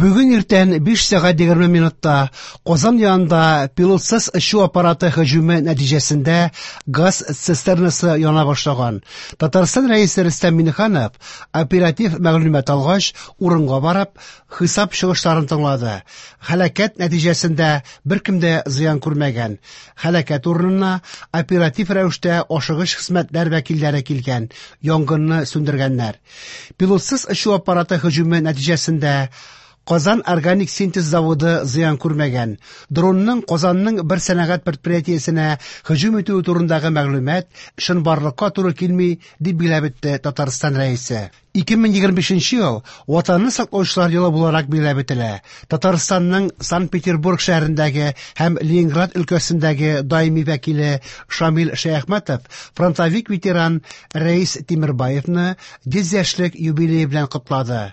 Бүген иртән 5 сәгать 20 минутта Казан янында пилотсыз очу аппараты һөҗүме нәтиҗәсендә газ цистернасы яна башлаган. Татарстан Рәисе Рөстәм Миңнеханов оператив мәгълүмат алгач, урынга барып, хисап чыгышларын тыңлады. Һәлакәт нәтиҗәсендә беркем дә зыян күрмәгән. Һәлакәт урынына оператив рәвештә ашыгыч хезмәтләр вәкилләре килгән, янгынны сүндергәннәр. Пилотсыз очу аппараты һөҗүме нәтиҗәсендә Казан органик синтез заводы зыян күрмәгән. Дронның Казанның бер сәнәгать предприятиесенә һөҗүм итүе турындагы мәгълүмат чынбарлыкка туры килми, дип билгеләп үтте Татарстан Рәисе. 2025 ел Ватанны саклаучылар елы буларак билгеләп үтелә. Татарстанның Санкт-Петербург шәһәрендәге һәм Ленинград өлкәсендәге даими вәкиле Шамил Шәяхмәтов фронтовик ветеран Рәис Тимербаевны 100 яшьлек юбилее белән котлады.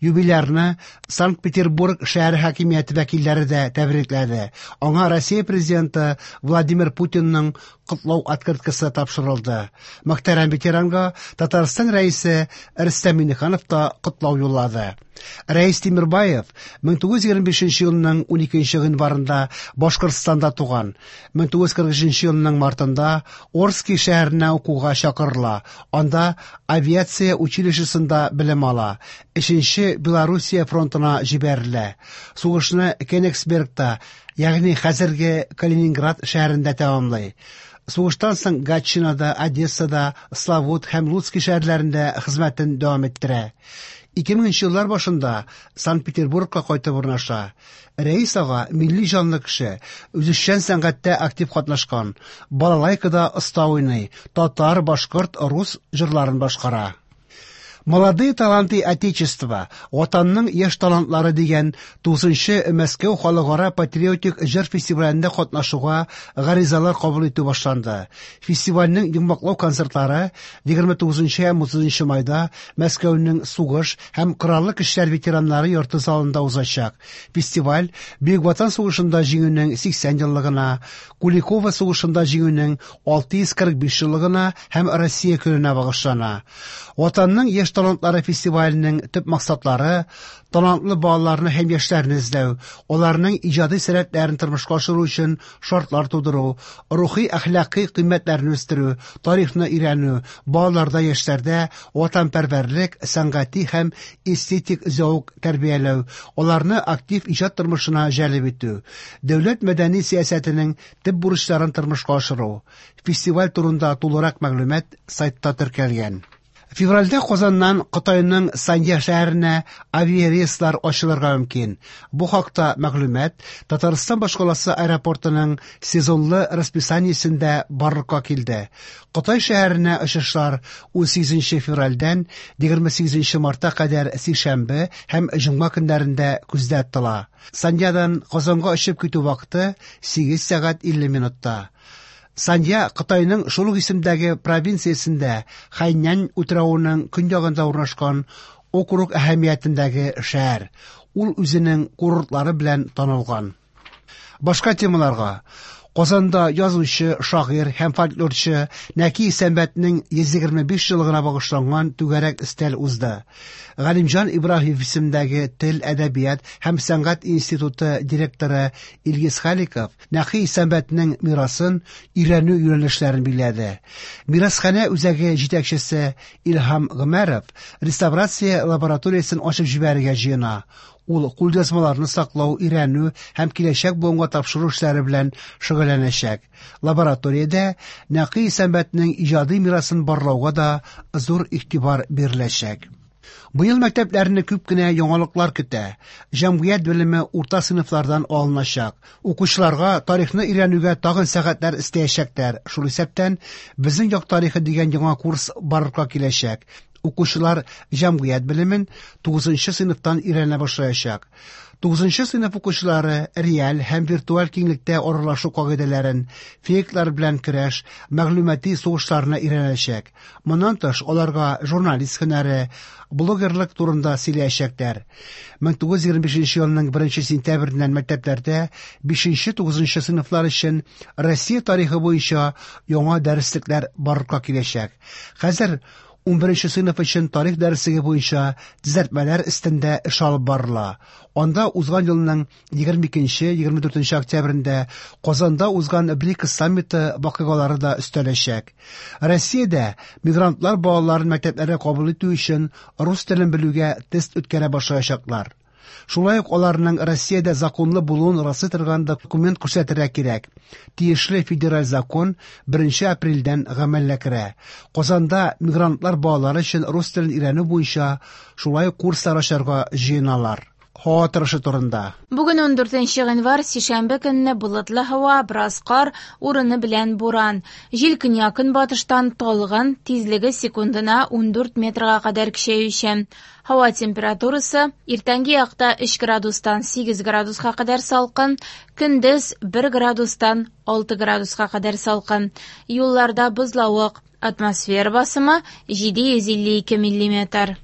Юбилярны Санкт-Петербург шәһәре хакимияте вәкилләре дә тәбрикләде. Аңа Россия президенты Владимир Путинның котлау открыткасы тапшырылды. Мөхтәрәм ветеранга Татарстан Рәисе Рөстәм Миңнеханов та котлау юллады. Рәис Тимербаев 1925 елның 12 гыйнварында Башкортстанда туган. 1943 елның мартында Орски шәһәренә укуга чакырыла. Анда авиация училищесында белем ала. 3нче Белоруссия фронтына җибәрелә. Сугышны Кенигсбергта, ягъни хәзерге Калининград шәһәрендә тәмамлый. Сугыштан соң Гатчинада, Одессада, Славут һәм Луцкий шәһәрләрендә хезмәтен дәвам иттерә. 2000 еллар башында Санкт-Петербургка кайтып урнаша. Рәис ага милли җанлы кеше, үзешчән сәнгатьтә актив катнашкан, балалайкада оста уйный, татар, башкорт, рус җырларын башкара. Молодые таланты Отечества, Ватанның яшь талантлары дигән 9нчы Мәскәү халыкара патриотик җыр фестивалендә катнашуга гаризалар кабул итү башланды. Фестивальнең йомгаклау концертлары 29 һәм 30 майда Мәскәүнең сугыш һәм кораллы көчләр ветераннары йорты залында узачак. Фестиваль Бөек Ватан сугышында җиңүнең 80 еллыгына, Куликово сугышында җиңүнең 645 еллыгына һәм Россия көненә багышлана. Ватанның яшь талантлары фестиваленең төп максатлары талантлы балаларны һәм яшьләрне эзләү, аларның иҗади сәләтләрен тормышка ашыру өчен шартлар тудыру, рухи әхлакый кыйммәтләрне үстерү, тарихны өйрәнү, балаларда, яшьләрдә ватанпәрвәрлек, сәнгати һәм эстетик зәвык тәрбияләү, аларны актив иҗат тормышына җәлеп итү, дәүләт мәдәни сәясәтенең төп бурычларын тормышка ашыру. Фестиваль турында тулырак мәгълүмат сайтта теркәлгән. Февральдә Казаннан Кытайның Санья шәһәренә авиарейслар ачылырга мөмкин. Бу хакта мәгълүмат Татарстан башкаласы аэропортының сезонлы расписаниесендә барлыкка килде. Кытай шәһәренә очышлар 18 февральдән 28 мартка кадәр сишәмбе һәм җомга көннәрендә күздә тотыла. Саньядан Казанга очып китү вакыты 8 сәгать 50 минутта. Санья Кытайның шул ук исемдәге провинциясендә Хайнань утравының көньягында урнашкан округ әһәмиятендәге шәһәр. Ул үзенең курортлары белән танылган. Башка темаларга Казанда язучы, шагыйрь һәм фольклорчы Нәки Исәнбәтнең 125 еллыгына багышланган түгәрәк өстәл узды. Галимҗан Ибраһимов исемендәге Тел, әдәбият һәм сәнгать институты директоры Илгиз Халиков Нәки Исәнбәтнең мирасын өйрәнү юнәлешләрен билгеләде. Мирасханә үзәге җитәкчесе Илһам Гомәров реставрация лабораториясен ачып җибәрергә җыена. Ул кулъязмаларны саклау, өйрәнү һәм киләчәк буынга тапшыру эшләре белән шөгыльләнәчәк. Лабораториядә Нәки Исәнбәтнең иҗади мирасын барлауга да зур игътибар биреләчәк. Быел мәктәпләрне күп кенә яңалыклар көтә. Җәмгыять белеме урта сыйныфлардан алыначак. Укучыларга тарихны өйрәнүгә тагын сәгатьләр өстәячәкләр. Шул исәптән Безнең як тарихы дигән яңа курс барлыкка киләчәк. Укучылар җәмгыять белемен 9 сыйныфтан өйрәнә башлаячак. 9 сыйныф укучылары реаль һәм виртуаль киңлектә аралашу кагыйдәләрен, фейклар белән көрәш, мәгълүмати сугышларны өйрәнәчәк. Моннан тыш, аларга журналист һөнәре, блогерлык турында сөйләячәкләр. 1925 елның 1 сентябреннән мәктәпләрдә 5-9 сыйныфлар өчен Россия тарихы буенча яңа дәреслекләр барлыкка киләчәк. Хәзер 11 сыйныф өчен тарих дәреслеге буенча төзәтмәләр өстендә эш алып барыла. Анда узган елның 22-24 октябрендә Казанда узган БРИКС саммиты вакыйгалары да өстәләчәк. Россиядә мигрантлар балаларын мәктәпләргә кабул итү өчен рус телен белүгә тест үткәрә башлаячаклар. Шулай ук аларның Россиядә законлы булуын раслый торган документ күрсәтергә кирәк. Тиешле федераль закон 1 апрельдән гамәлгә керә. Казанда мигрантлар балалары өчен рус телен өйрәнү буенча шулай ук курслар ачарга җыеналар. Һава торышы турында. Бүген 14 гыйнвар, сишәмбе көнне болытлы һава, бераз кар, урыны белән буран. Җил көньяк-көнбатыштан талгын, тизлеге секундына 14 метрга кадәр көчәючән. Һава температурасы иртәнге якта 3 градустан 8 градуска кадәр салкын, көндез 1 градустан 6 градуска кадәр салкын. Юлларда бозлавык, атмосфера басымы 752 миллиметр.